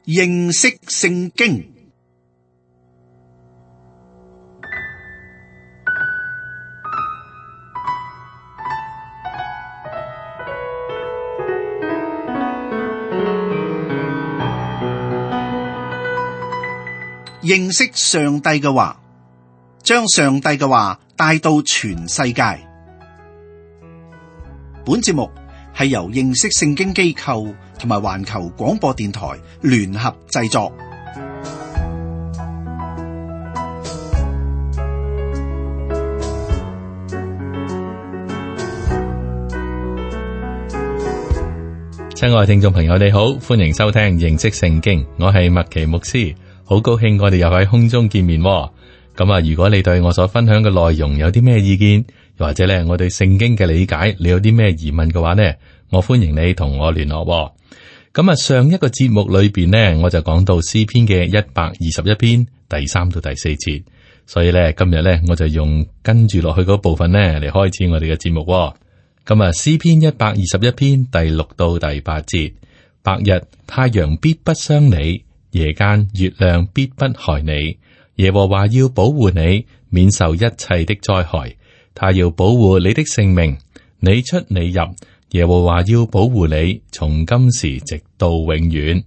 認識聖經。認識上帝嘅話，將上帝嘅話帶到全世界。本節目係由認識聖經機構同埋環球廣播電台聯合製作。親愛聽眾朋友，你好，歡迎收聽認識聖經，我係麥奇牧師，好高興我哋又喺空中見面。咁啊，如果你對我所分享嘅內容有啲咩意見，又或者咧我對聖經嘅理解，你有啲咩疑問嘅話呢，我歡迎你同我聯絡。咁啊，上一個節目裏邊呢，我就講到詩篇嘅121篇第3到第4節，所以咧今日咧我就用跟住落去嗰部分呢嚟開始我哋嘅節目。咁啊，詩篇121篇第6到第8節，白日太陽必不傷你，夜間月亮必不害你。耶和華要保護你，免受一切的災害。他要保護你的性命，你出你入。耶和華要保護你，從今時直到永遠。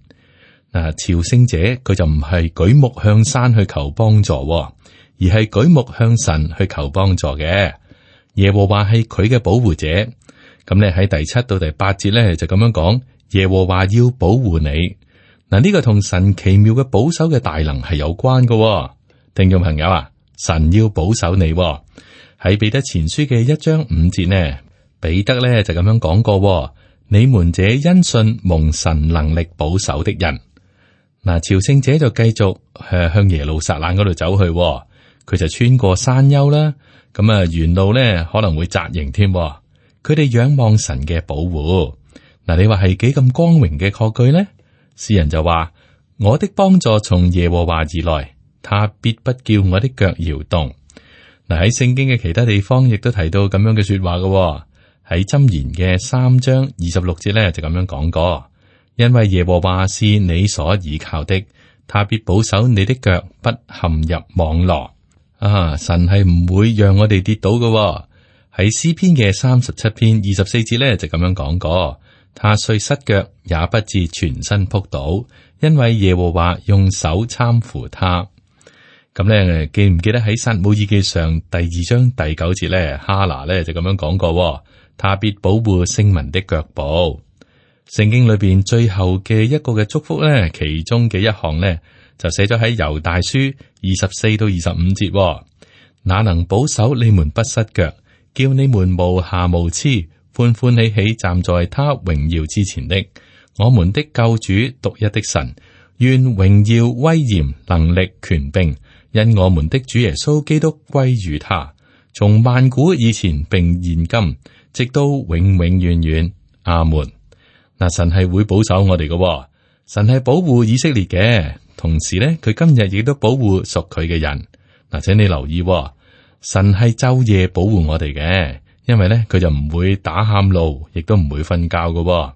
嗱，朝聖者佢就唔係舉目向山去求幫助，而係舉目向神去求幫助嘅。耶和華係佢嘅保護者。咁咧喺第7到第8節咧就咁樣講，耶和華要保護你。嗱，呢個同神奇妙嘅保守嘅大能係有關嘅。聽眾朋友啊，神要保守你。喺彼得前書嘅1章5節呢，彼得咧就咁樣講過：你們這因信蒙神能力保守的人。嗱，朝聖者就繼續向耶路撒冷嗰度走去，佢就穿過山丘啦。咁啊，沿路咧可能會紮營添。佢哋仰望神嘅保護。嗱，你話係幾咁光榮嘅確據呢？詩人就話：我的幫助從耶和華而來。他必不叫我的腳搖動。嗱，喺聖經嘅其他地方亦都提到咁樣嘅說話嘅。喺箴言嘅3章26節咧就咁樣講過，因為耶和華是你所倚靠的，他必保守你的腳不陷入網羅。神係唔會讓我哋跌倒嘅。喺詩篇嘅37篇24節咧就咁樣講過，他雖失腳也不至全身仆倒，因為耶和華用手攙扶他。咁咧，記唔記得喺撒母耳記上第2章第9節咧，哈拿咧就咁樣講過，他必保護聖民的腳步。聖經裏邊最後嘅一個嘅祝福咧，其中嘅一項咧就寫咗喺猶大書24到25節，那能保守你們不失腳，叫你們無瑕無疵，歡歡喜喜站在他榮耀之前的，我們的救主獨一的神，願榮耀威嚴能力權柄因我們的主耶穌基督歸於他，從萬古以前並現今，直到永永遠遠。阿門。嗱，神係會保守我哋嘅，神係保護以色列嘅，同時咧，佢今日亦都保護屬佢嘅人。嗱，請你留意，神係晝夜保護我哋嘅，因為咧佢就唔會打喊路，亦都唔會瞓覺嘅。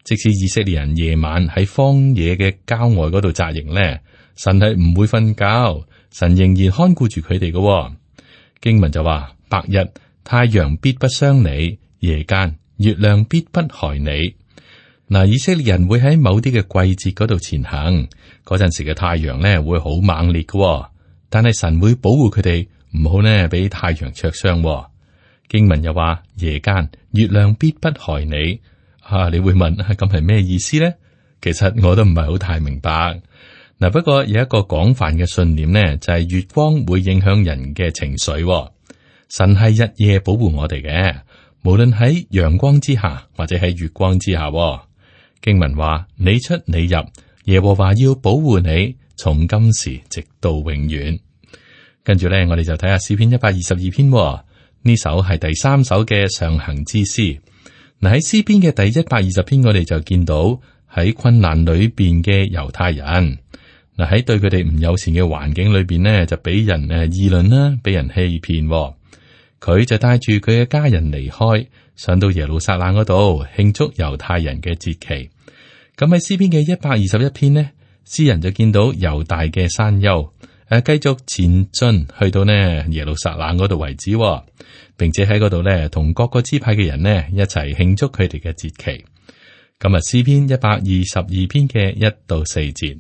即使以色列人夜晚喺荒野嘅郊外嗰度紮營咧，神係唔會瞓覺。神仍然看顧住佢哋嘅。經文就話：白日太陽必不傷你，夜間月亮必不害你。嗱，以色列人會喺某啲嘅季節嗰度前行，嗰陣時嘅太陽咧會好猛烈嘅，但係神會保護佢哋，唔好呢俾太陽灼傷。經文又話：夜間月亮必不害你。你會問咁係咩意思呢？其實我都唔係好太明白。嗱，不過有一個廣泛嘅信念呢，就係月光會影響人嘅情緒。神係日夜保護我哋嘅，無論喺陽光之下或者喺月光之下。經文話：你出你入，耶和華要保護你，從今時直到永遠。跟住咧，我哋就睇下詩篇122篇。呢首係第3首嘅上行之詩。嗱，喺詩篇嘅第120篇，我哋就見到喺困難裏邊嘅猶太人。嗱，喺對佢哋唔友善嘅環境裏邊呢，就俾人議論啦，俾人欺騙。佢就帶住佢嘅家人離開，上到耶路撒冷嗰度慶祝猶太人嘅節期。咁喺詩篇嘅121篇呢，詩人就見到猶大嘅山丘，繼續前進去到呢耶路撒冷嗰度為止，並且喺嗰度呢同各個支派嘅人呢一齊慶祝佢哋嘅節期。今日詩篇122篇嘅1-4節，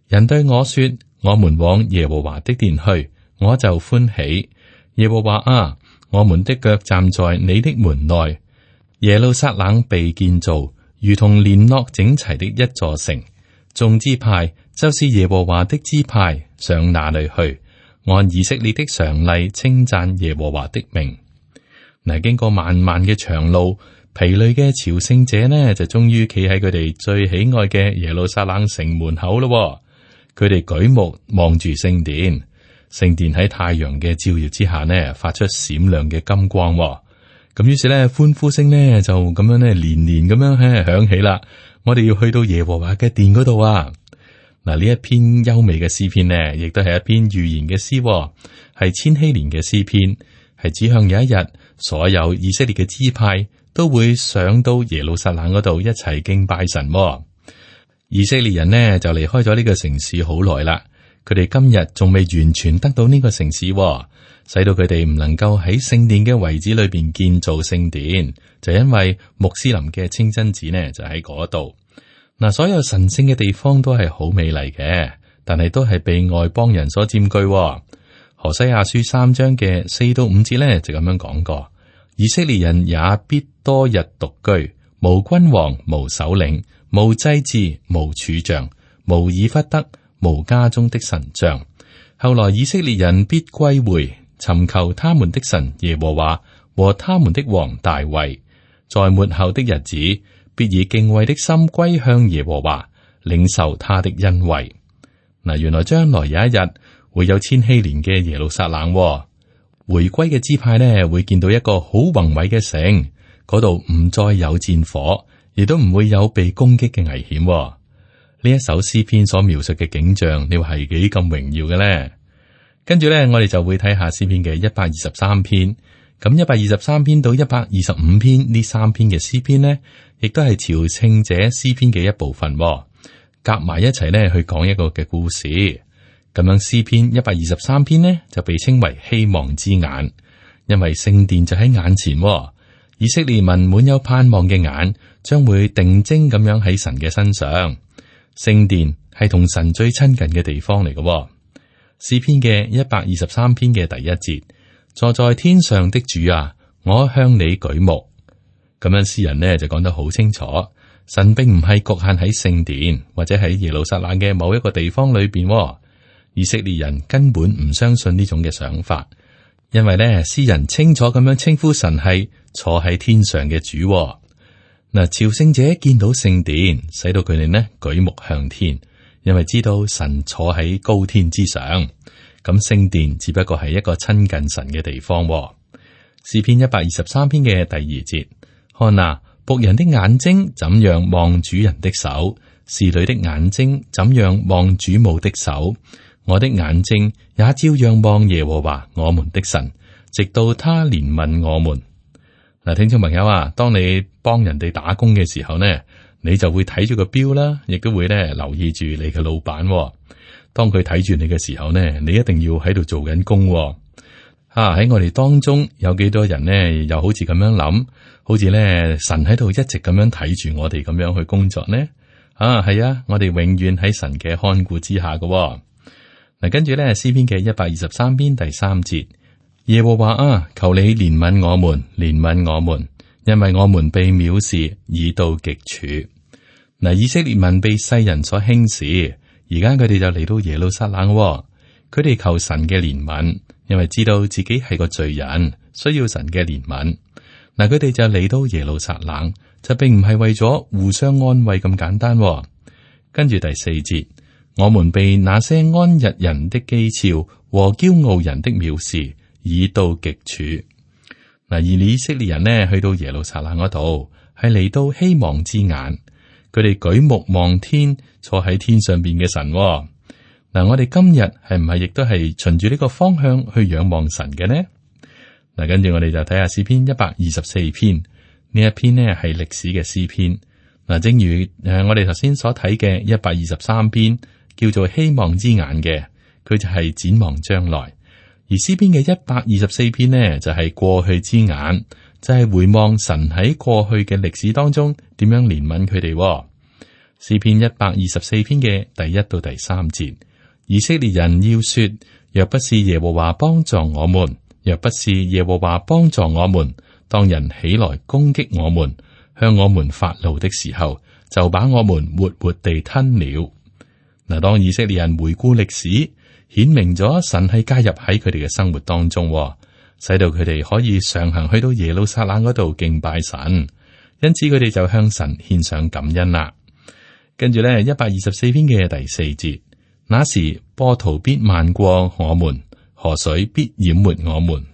人對我說：我們往耶和華的殿去，我就歡喜。耶和華啊，我們的腳站在你的門內。耶路撒冷被建造，如同聯絡整齊的一座城。眾支派就是耶和華的支派，上那裏去，按以色列的常例稱讚耶和華的名。嗱，經過漫漫嘅長路，疲累嘅朝聖者呢，就終於企喺佢哋最喜愛嘅耶路撒冷城門口咯。佢哋舉目望住聖殿，聖殿喺太陽嘅照耀之下呢，發出閃亮嘅金光。咁於是咧，歡呼聲呢就咁樣咧連連咁樣響起啦。我哋要去到耶和華嘅殿嗰度啊！嗱，呢一篇優美嘅詩篇呢，亦都係一篇預言嘅詩，係千禧年嘅詩篇，係指向有一日，所有以色列嘅支派都會上到耶路撒冷嗰度一齊敬拜神。以色列人呢就離開咗呢個城市好耐啦，佢哋今日仲未完全得到呢個城市，使到佢哋唔能夠喺聖殿嘅遺址裏邊建造聖殿，就因為穆斯林嘅清真寺呢就喺嗰度。嗱，所有神聖嘅地方都係好美麗嘅，但係都係被外邦人所佔據。何西阿書3章嘅4-5節呢就咁樣講過：以色列人也必多日獨居，無君王，無首領，無祭司，無柱像，無以弗得，無家中的神像。後來以色列人必歸回，尋求他們的神耶和華和他們的王大衛，在末後的日子，必以敬畏的心歸向耶和華，領受他的恩惠。嗱，原來將來有一日會有千禧年嘅耶路撒冷，回歸嘅支派呢會見到一個好宏偉嘅城，嗰度唔再有戰火，亦都唔會有被攻擊嘅危險。呢一首詩篇所描述嘅景象，你話係幾咁榮耀嘅呢？跟住咧，我哋就會睇下詩篇嘅123篇。咁123篇到125篇呢3篇嘅詩篇呢，亦都係朝聖者詩篇嘅一部分，夾埋一齊呢去講一個嘅故事。咁樣詩篇123篇呢就被稱為希望之眼，因為聖殿就喺眼前，以色列民滿有盼望嘅眼將會定睛咁樣喺神嘅身上。聖殿係同神最親近嘅地方嚟嘅。詩篇嘅123篇嘅第1節，坐在天上的主啊，我向你舉目。咁樣詩人呢就講得好清楚，神並唔係局限喺聖殿或者喺耶路撒冷嘅某一個地方裏邊。以色列人根本唔相信呢種嘅想法，因為呢詩人清楚咁樣稱呼神係坐喺天上嘅主。嗱，朝聖者見到聖殿，使到佢哋呢舉目向天。因為知道神坐喺高天之上，咁聖殿只不過係一個親近神嘅地方。詩篇123篇嘅第2節，看啊，僕人的眼睛怎樣望主人的手，侍女的眼睛怎樣望主母的手，我的眼睛也照樣望耶和華我們的神，直到他憐憫我們。嗱，聽眾朋友啊，當你幫人哋打工嘅時候呢，你就會睇住個錶啦，亦都會咧留意住你嘅老闆。當佢睇住你嘅時候呢，你一定要喺度做緊工。喺我哋當中有幾多人呢？又好似咁樣諗，好似咧神喺度一直咁樣睇住我哋咁樣去工作呢？係啊，我哋永遠喺神嘅看顧之下嘅。嗱，跟住咧詩篇嘅123篇第3節，耶和華啊，求你憐憫我們，憐憫我們，因為我們被藐視已到極處。嗱，以色列民被世人所輕視，而家佢哋就嚟到耶路撒冷，佢哋求神嘅憐憫，因為知道自己係個罪人，需要神嘅憐憫。嗱，佢哋就嚟到耶路撒冷，就並唔係為咗互相安慰咁簡單。跟住第4節，我們被那些安逸人的譏誚和驕傲人的藐視已到極處。嗱，而以色列人呢，去到耶路撒冷嗰度，係嚟到希望之眼。佢哋舉目望天，坐喺天上邊嘅神。嗱，我哋今日係唔係亦都係循住呢個方向去仰望神嘅呢？嗱，跟住我哋就睇下詩篇124篇，呢一篇呢係歷史嘅詩篇。嗱，正如我哋頭先所睇嘅123篇，叫做希望之眼嘅，佢就係展望將來；而詩篇嘅124篇呢，就係過去之眼，就係回望神喺過去嘅歷史當中點樣憐憫佢哋。詩篇124篇嘅第1到第3節，以色列人要說：若不是耶和華幫助我們，若不是耶和華幫助我們，當人起來攻擊我們，向我們發怒的時候，就把我們活活地吞了。嗱，當以色列人回顧歷史，顯明咗神係介入喺佢哋嘅生活當中，使到佢哋可以上行去到耶路撒冷嗰度敬拜神，因此佢哋就向神獻上感恩啦。跟住咧，124篇嘅第4節，那時波濤必漫過我們，河水必淹沒我們。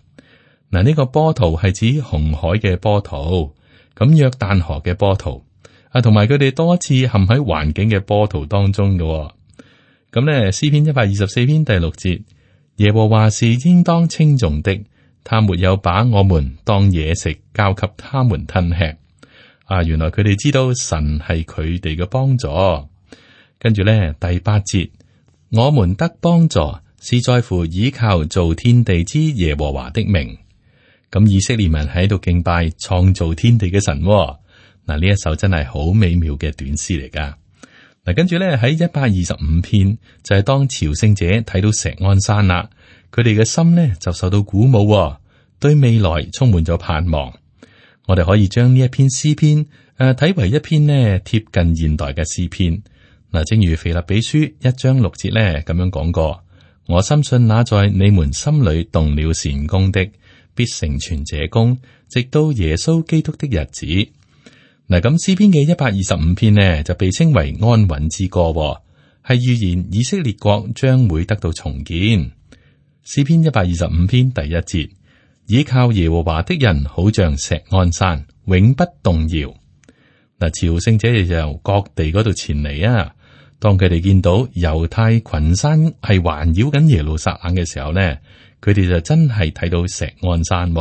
嗱，呢個波濤係指紅海嘅波濤，咁約旦河嘅波濤啊，同埋佢哋多次陷喺環境嘅波濤當中嘅。咁咧，詩篇124篇第6節，耶和華是應當稱頌的，他沒有把我們當野食交給他們吞吃。啊，原來佢哋知道神係佢哋嘅幫助。跟住咧，第8節，我們得幫助是在乎倚靠造天地之耶和華的名。咁以色列民喺度敬拜創造天地嘅神。嗱，呢一首真係好美妙嘅短詩嚟噶。嗱，跟住咧，喺125篇就係當朝聖者睇到錫安山啦，佢哋嘅心呢就受到鼓舞，對未來充滿咗盼望。我哋可以將呢一篇詩篇睇為一篇呢貼近現代嘅詩篇。嗱，正如腓立比書1章6節咧咁樣講過，我深信那在你們心裏動了善工的，必成全這工，直到耶穌基督的日子。嗱，咁詩篇嘅125篇呢，就被稱為安穩之歌，係預言以色列國將會得到重建。詩篇125篇第1節，倚靠耶和華的人，好像錫安山，永不動搖。嗱，朝聖者就由各地嗰度前嚟啊。當佢哋見到猶太群山係環繞緊耶路撒冷嘅時候呢，佢哋就真係睇到錫安山。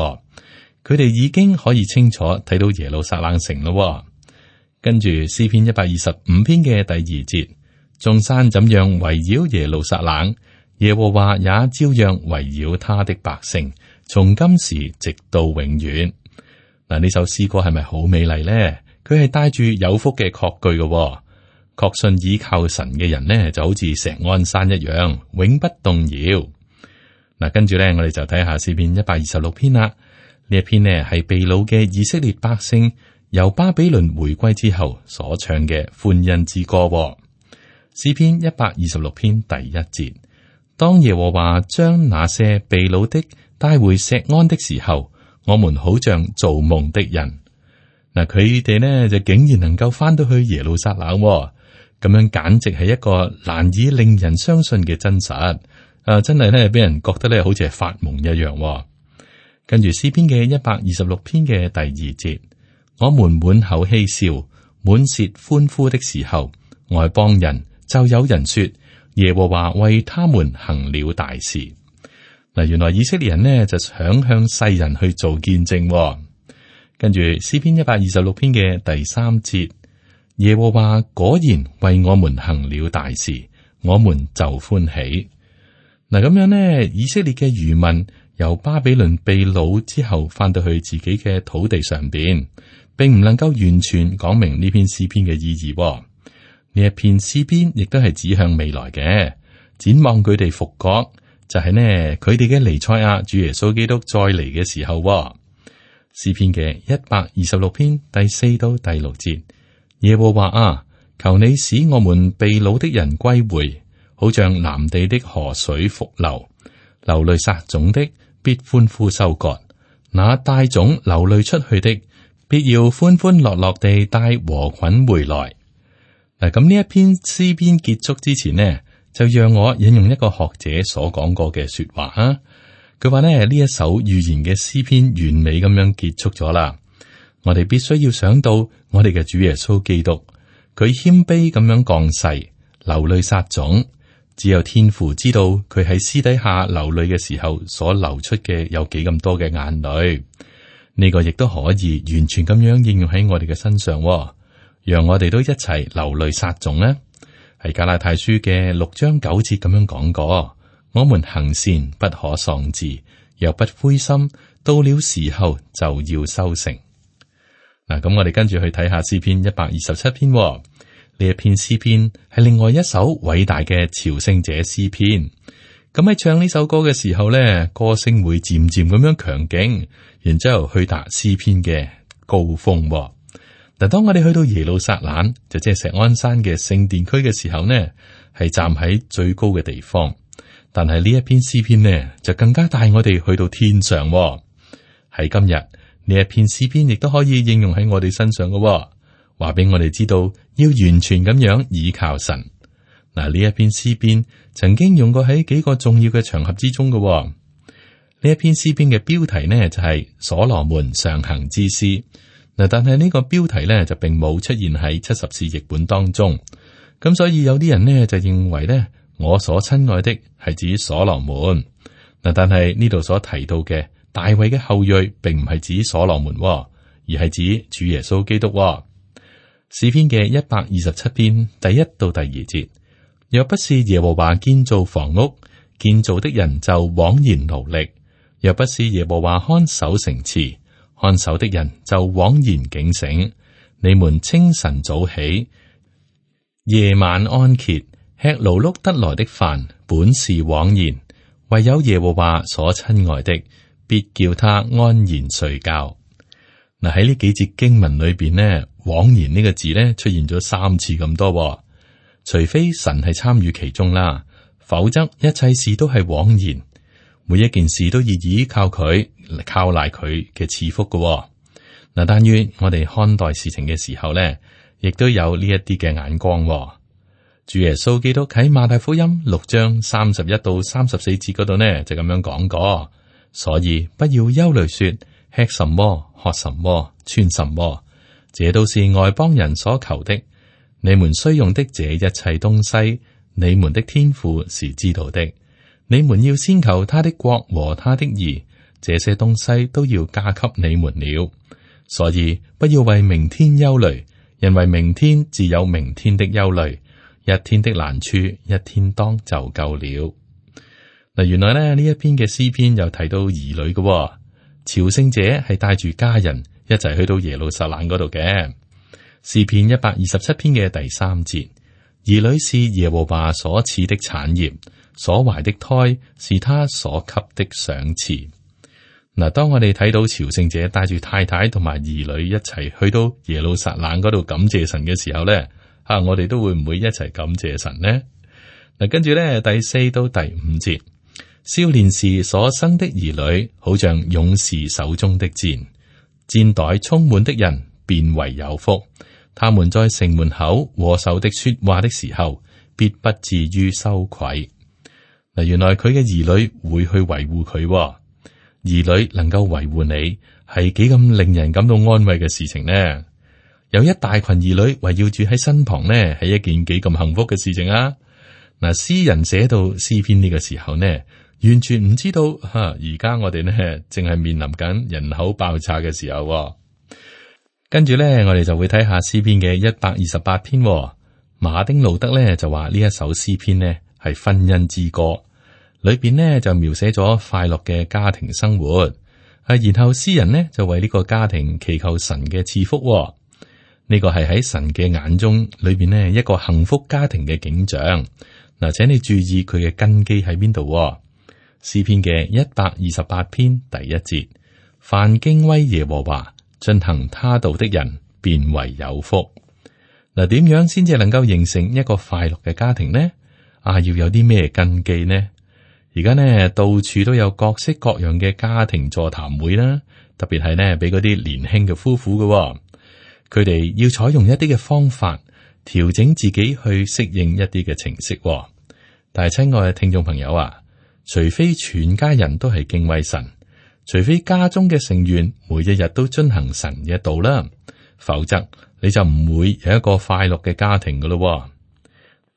佢哋已經可以清楚睇到耶路撒冷城咯。跟住詩篇125篇嘅第2節，眾山怎樣圍繞耶路撒冷，耶和華也照樣圍繞他的百姓，從今時直到永遠。嗱，呢首詩歌係咪好美麗呢？佢係帶住有福嘅確據嘅，確信倚靠神嘅人呢，就好似錫安山一樣，永不動搖。嗱，跟住咧，我哋就睇下詩篇126篇啦。呢一篇呢係被擄嘅以色列百姓由巴比倫回歸之後所唱嘅歡欣之歌。詩篇126篇第1節，當耶和華將那些被擄的帶回錫安的時候，我們好像做夢的人。嗱，佢哋呢就竟然能夠翻到去耶路撒冷，咁樣簡直係一個難以令人相信嘅真實。真係咧俾人覺得咧好似係發夢一樣。跟住詩篇嘅126篇嘅第2節，我們滿口嬉笑，滿舌歡呼的時候，外邦人就有人說耶和華為他們行了大事。嗱，原來以色列人呢就想向世人去做見證。跟住詩篇126篇嘅第3節，耶和華果然為我們行了大事，我們就歡喜。嗱，咁樣呢，以色列嘅餘民由巴比倫被擄之後，翻到去自己嘅土地上邊，並唔能夠完全講明呢篇詩篇嘅意義。呢一篇詩篇亦都係指向未來嘅，展望佢哋復國，就係呢佢哋嘅彌賽亞主耶穌基督再嚟嘅時候。詩篇嘅126篇第4到第6節，耶和華啊，求你使我們被擄的人歸回，好像南地的河水復流。流淚撒種的必歡呼收割，那帶種流淚出去的必要歡歡樂樂地帶禾捆回來。嗱，咁呢一篇詩篇結束之前呢，就讓我引用一個學者所講過嘅說話啊。佢話呢，呢一首預言嘅詩篇完美咁樣結束咗啦。我哋必須要想到我哋嘅主耶穌基督，佢謙卑咁樣降世，流淚撒種。只有天父知道佢喺私底下流淚嘅時候所流出嘅有幾咁多嘅眼淚。呢個亦都可以完全咁樣應用喺我哋嘅身上，讓我哋都一齊流淚撒種呢。喺加拉太書嘅6章9節咁樣講過：我們行善不可喪志，若不灰心，到了時候就要收成。嗱，咁我哋跟住去睇下詩篇127篇。呢一篇詩篇係另外一首偉大嘅朝聖者詩篇。咁喺唱呢首歌嘅時候咧，歌聲會漸漸咁樣強勁，然之後去達詩篇嘅高峰。嗱，當我哋去到耶路撒冷，就即係錫安山嘅聖殿區嘅時候呢，係站喺最高嘅地方。但係呢一篇詩篇呢，就更加帶我哋去到天上。喺今日呢一篇詩篇亦都可以應用喺我哋身上嘅，話俾我哋知道要完全咁樣倚靠神。嗱，呢一篇詩篇曾經用過喺幾個重要嘅場合之中嘅。呢一篇詩篇嘅標題呢，就係所羅門上行之詩。嗱，但係呢個標題呢，就並冇出現喺70士譯本當中。咁所以有啲人呢，就認為呢，我所親愛的係指所羅門。嗱，但係呢度所提到嘅大衛嘅後裔，並唔係指所羅門，而係指主耶穌基督。詩篇嘅127篇第1到第2節。若不是耶和華建造房屋，建造的人就枉然勞力；若不是耶和華看守城池，看守的人就枉然警醒。你們清晨早起，夜晚安歇，吃勞碌得來的飯，本是枉然；唯有耶和華所親愛的，必叫他安然睡覺。嗱，喺呢幾節經文裏邊呢，枉然呢個字呢出現咗3次咁多。除非神係參與其中啦，否則一切事都係枉然。每一件事都要依靠佢，靠賴佢嘅賜福嘅。嗱，但願我哋看待事情嘅時候呢，亦都有呢一啲嘅眼光。主耶穌基督喺馬太福音6章31到34節嗰度呢，就咁樣講過。所以不要憂慮說，吃什麼，喝什麼，穿什麼，這都是外邦人所求的。你們需用的這一切東西，你們的天父是知道的。你們要先求他的國和他的義，這些東西都要加給你們了。所以不要為明天憂慮，因為明天自有明天的憂慮，一天的難處一天當就夠了。嗱，原來咧呢一篇嘅詩篇又提到兒女嘅，朝聖者係帶住家人一齊去到耶路撒冷嗰度嘅。詩篇127篇嘅第3節，兒女是耶和華所賜的產業，所懷的胎是他所給的賞賜。嗱，當我哋睇到朝聖者帶住太太同埋兒女一齊去到耶路撒冷嗰度感謝神嘅時候咧，我哋都會唔會一齊感謝神呢？嗱，跟住咧第4到第5節，少年時所生的兒女，好像勇士手中的箭，箭袋充滿的人便為有福。他們在城門口和仇敵說話的時候，必不至於羞愧。嗱，原來佢嘅兒女會去維護佢，兒女能夠維護你，係幾咁令人感到安慰嘅事情呢？有一大群兒女圍繞住喺身旁呢，係一件幾咁幸福嘅事情啊！嗱，詩人寫到詩篇呢個時候呢，完全唔知道而家我哋呢正係面臨緊人口爆炸嘅時候。跟住咧，我哋就會睇下詩篇嘅128篇。馬丁路德咧就話呢一首詩篇呢係婚姻之歌，裏邊呢就描寫咗快樂嘅家庭生活。然後詩人呢就為呢個家庭祈求神嘅賜福。呢個係喺神嘅眼中裏邊呢一個幸福家庭嘅景象。嗱，請你注意佢嘅根基喺邊度。詩篇嘅128篇第1節，凡敬畏耶和華，進行他道的人，便為有福。嗱，點樣先至能夠形成一個快樂嘅家庭呢？要有啲咩根基呢？而家呢，到處都有各式各樣嘅家庭座談會啦，特別係呢，俾嗰啲年輕嘅夫婦嘅，佢哋要採用一啲嘅方法，調整自己去適應一啲嘅程式。但係親愛嘅聽眾朋友啊，除非全家人都係敬畏神，除非家中嘅成員每一日都遵行神嘅道啦，否則你就唔會有一個快樂嘅家庭噶咯。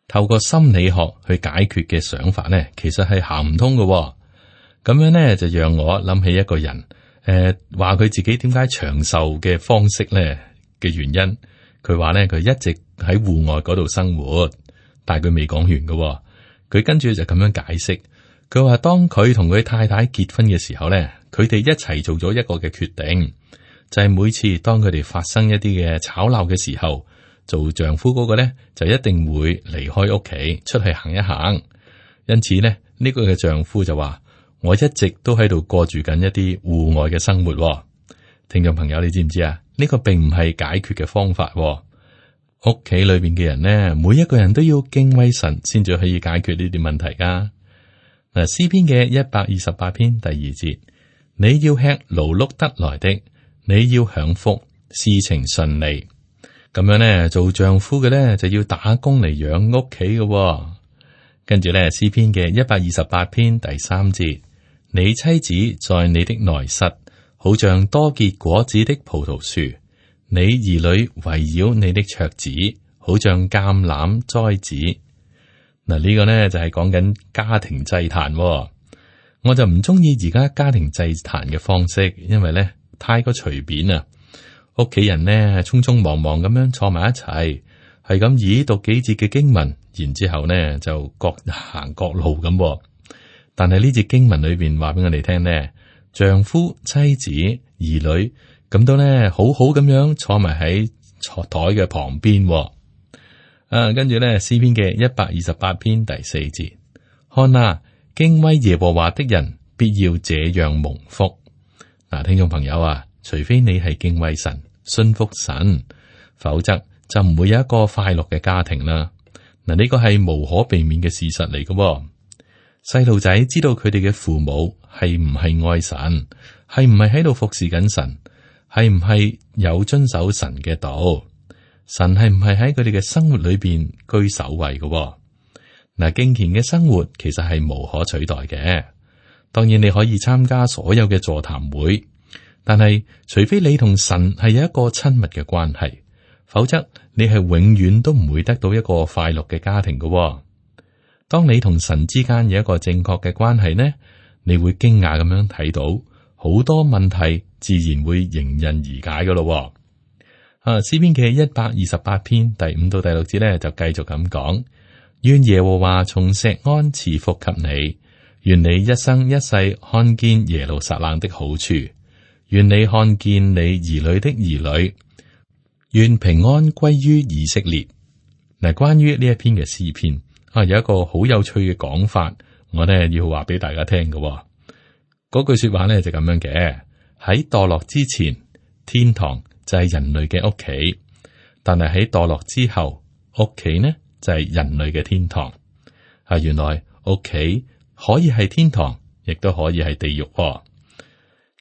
透過心理學去解決嘅想法呢，其實係行唔通噶。咁樣呢，就讓我諗起一個人，話佢自己點解長壽嘅方式呢嘅原因。佢話呢，佢一直喺戶外嗰度生活，但係佢未講完嘅，佢跟住就咁樣解釋。佢話當佢同佢太太結婚嘅時候咧，佢哋一齊做咗一個嘅決定，就係每次當佢哋發生一啲嘅吵鬧嘅時候，做丈夫嗰個咧就一定會離開屋企出去行一行。因此咧，呢個嘅丈夫就話：我一直都喺度過住緊一啲戶外嘅生活。聽眾朋友，你知唔知啊？呢個並唔係解決嘅方法。屋企裏邊嘅人呢，每一個人都要敬畏神，先至可以解決呢啲問題噶。嗱，詩篇嘅128篇第2節，你要吃勞碌得來的，你要享福，事情順利。咁樣呢，做丈夫嘅呢，就要打工嚟養屋企嘅。跟住呢，詩篇嘅128篇第3節，你妻子在你的內室，好像多結果子的葡萄樹。你兒女圍繞你的桌子，好像橄欖栽子。嗱，呢個呢就係講緊家庭祭壇。我就唔中意而家家庭祭壇嘅方式，因為呢太過隨便啊。屋企人呢匆匆忙忙咁樣坐埋一齊，係咁以讀幾節嘅經文，然之後呢就各行各路咁。但係呢節經文裏邊話俾我哋聽呢，丈夫、妻子、兒女。咁都咧，好好咁樣坐埋喺桌台嘅旁邊。跟住咧，詩篇嘅128篇第4節，看啊，敬畏耶和華的人必要這樣蒙福。嗱，聽眾朋友啊，除非你係敬畏神、信服神，否則就唔會有一個快樂嘅家庭啦。嗱，呢個係無可避免嘅事實嚟嘅。細路仔知道佢哋嘅父母係唔係愛神，係唔係喺度服侍緊神。係唔係有遵守神嘅道？神係唔係喺佢哋嘅生活裏邊居首位嘅？嗱，敬虔嘅生活其實係無可取代嘅。當然你可以參加所有嘅座談會，但係除非你同神係有一個親密嘅關係，否則你係永遠都唔會得到一個快樂嘅家庭嘅。當你同神之間有一個正確嘅關係呢，你會驚訝咁樣睇到好多問題。自然會迎刃而解噶咯。詩篇嘅128篇第5到第6節咧，就繼續咁講：願耶和華從錫安賜福給你，願你一生一世看見耶路撒冷的好處，願你看見你兒女的兒女，願平安歸於以色列。嗱，關於呢一篇嘅詩篇有一個好有趣嘅講法，我呢要話俾大家聽嘅。嗰句說話呢就咁樣嘅。喺墮落之前，天堂就係人類嘅屋企；但係喺墮落之後，屋企呢就係人類嘅天堂。原來屋企可以係天堂，亦都可以係地獄。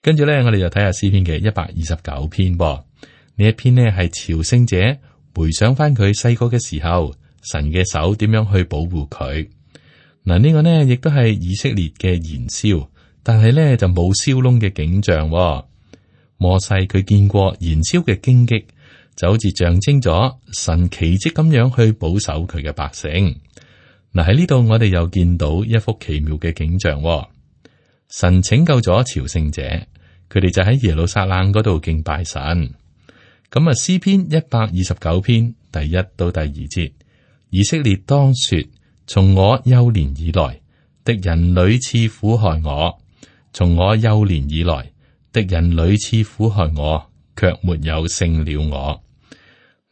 跟住咧，我哋就睇下詩篇嘅129篇。呢一篇呢係朝聖者回想翻佢細個嘅時候，神嘅手點樣去保護佢。嗱，呢個呢亦都係以色列嘅燃燒。但係咧就冇燒窿嘅景象。摩西佢見過燃燒嘅荊棘，就好似象徵咗神奇蹟咁樣去保守佢嘅百姓。嗱，喺呢度我哋又見到一幅奇妙嘅景象。神拯救咗朝聖者，佢哋就喺耶路撒冷嗰度敬拜神。咁啊，詩篇129篇第1到第2節，以色列當說：從我幼年以來，敵人屢次苦害我。從我幼年以來，敵人屢次苦害我，卻沒有勝了我。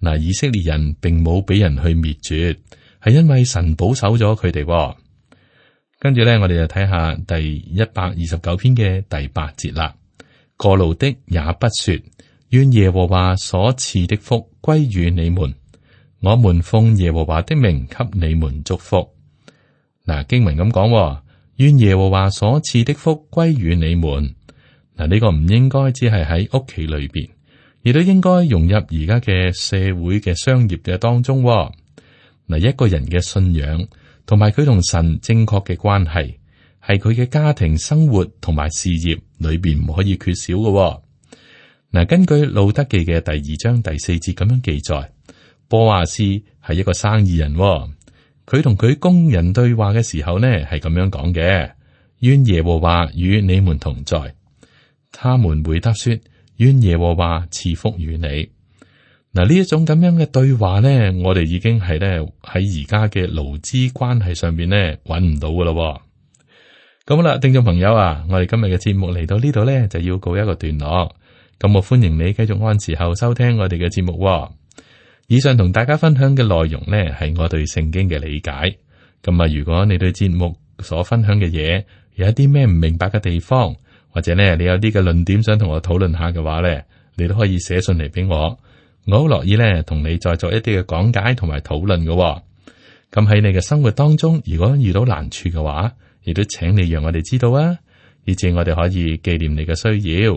嗱，以色列人並冇俾人去滅絕，係因為神保守咗佢哋。跟住咧，我哋就睇下第129篇嘅第8節啦。過路的也不說：願耶和華所賜的福歸於你們，我們奉耶和華的名給你們祝福。嗱，經文咁講。願耶和華所賜的福歸於你們。嗱，呢個唔應該只係喺屋企裏邊，亦都應該融入而家嘅社會嘅商業嘅當中。嗱，一個人嘅信仰同埋佢同神正確嘅關係，係佢嘅家庭生活同埋事業裏邊唔可以缺少嘅。嗱，根據路德記嘅第2章第4節咁樣記載，波阿斯係一個生意人。佢同佢工人對話嘅時候呢，係咁樣講嘅：願耶和華與你們同在。他們回答說：願耶和華賜福與你。嗱，呢一種咁樣嘅對話呢，我哋已經係咧喺而家嘅勞資關係上邊呢揾唔到噶咯。咁好啦，聽眾朋友啊，我哋今日嘅節目嚟到呢度呢，就要告一個段落。咁我歡迎你繼續按時候收聽我哋嘅節目。以上同大家分享嘅內容呢，係我對聖經嘅理解。咁啊，如果你對節目所分享嘅嘢有一啲咩唔明白嘅地方，或者呢你有啲嘅論點想同我討論下嘅話呢，你都可以寫信嚟俾我。我好樂意咧，同你再做一啲嘅講解同埋討論嘅。咁喺你嘅生活當中，如果遇到難處嘅話，亦都請你讓我哋知道啊，以至我哋可以紀念你嘅需要。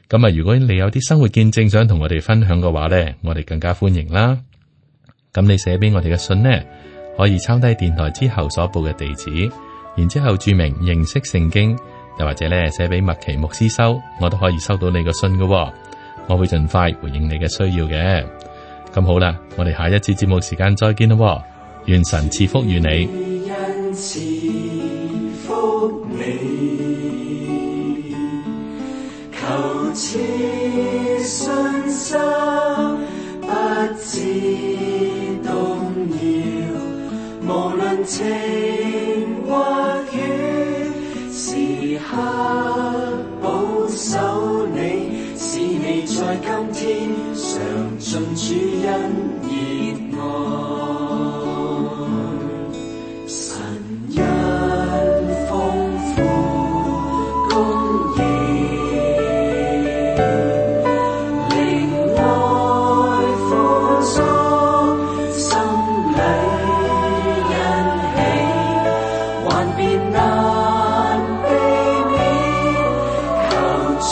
咁啊，如果你有啲生活見證想同我哋分享嘅話咧，我哋更加歡迎啦。咁你寫俾我哋嘅信呢，可以抄低電台之後所報嘅地址，然之後注明認識聖經，又或者咧寫俾麥奇牧師收，我都可以收到你嘅信嘅。我會盡快回應你嘅需要嘅。咁好啦，我哋下一次節目時間再見咯。願神賜福與你。賜福你，求賜信心，不致動搖。無論晴或雨，時刻保守你。使你在今天嘗盡主恩熱愛，神恩豐富供應，靈愛豐足，心裏欣喜，幻變難避免，求主